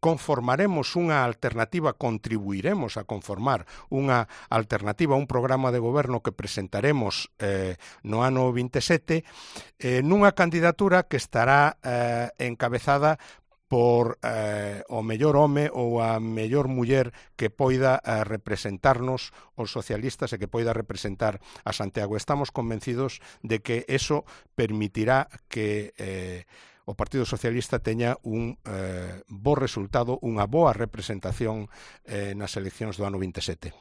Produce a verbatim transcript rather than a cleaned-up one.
conformaremos unha alternativa, contribuiremos a conformar unha alternativa a un programa de goberno que presentaremos eh, no ano vinte e sete, eh, nunha candidatura que estará eh, encabezada por eh, o mellor home ou a mellor muller que poida eh, representarnos os socialistas e que poida representar a Santiago. Estamos convencidos de que eso permitirá que eh, o Partido Socialista teña un eh, bo resultado, unha boa representación eh, nas eleccións do ano vinte e sete.